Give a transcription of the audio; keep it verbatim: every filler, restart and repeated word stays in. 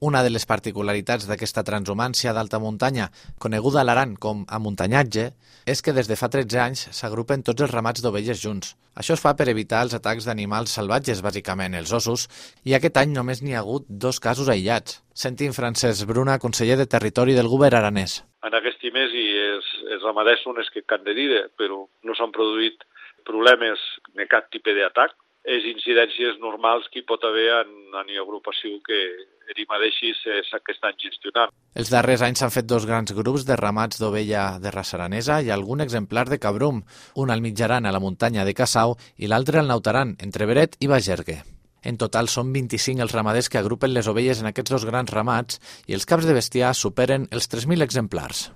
Una de les particularitats d'aquesta transhumància d'alta muntanya, coneguda a l'Aran com amuntanyatge, és que des de fa tretze anys s'agrupen tots els ramats d'ovelles junts. Això es fa per evitar els atacs d'animals salvatges, bàsicament els ossos, i aquest any només n'hi ha hagut dos casos aïllats. Sentim Francesc Bruna, conseller de Territori del Govern aranès. En aquest mes i els, els ramaders són els que han de dir, però no s'han produït problemes de cap tipus d'atac. Les incidències normals que hi pot haver en, en agrupació que ells mateixos que estan gestionant. Els darrers anys s'han fet dos grans grups de ramats d'ovella de raça aranesa i algun exemplar de cabrum, un al Mitjaran a la muntanya de Cassau i l'altre al Nautaran, entre Beret i Bagergue. En total són vint-i-cinc els ramaders que agrupen les ovelles en aquests dos grans ramats i els caps de bestiar superen els tres mil exemplars.